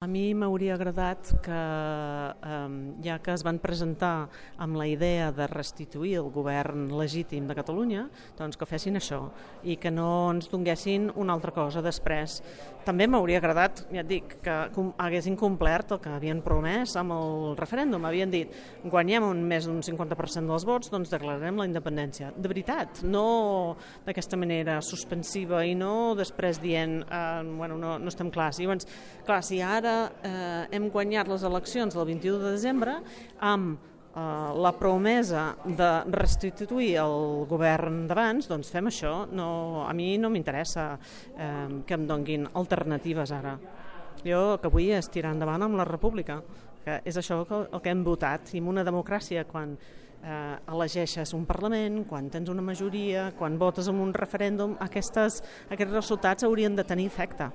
A mi m'hauria agradat que, ja que es van presentar amb la idea de restituir el govern legítim de Catalunya, doncs que fessin això i que no ens donguessin una altra cosa després. També m'hauria agradat, ja et dic, que haguessin complert el que havien promès amb el referèndum. Havien dit, guanyem més d'un 50% dels vots, doncs declararem la independència. De veritat, no d'aquesta manera suspensiva i no després dient, no estem clars. Llavors, clar, si ara hem guanyat les eleccions del 21 de desembre amb la promesa de restituir el govern d'abans, doncs fem això. A mi no m'interessa que em donguin alternatives ara. Jo el que vull és tirar endavant amb la república, que és això el que hem votat. I en una democràcia, quan elegeixes un Parlament, quan tens una majoria, quan votes en un referèndum, aquests resultats haurien de tenir efecte.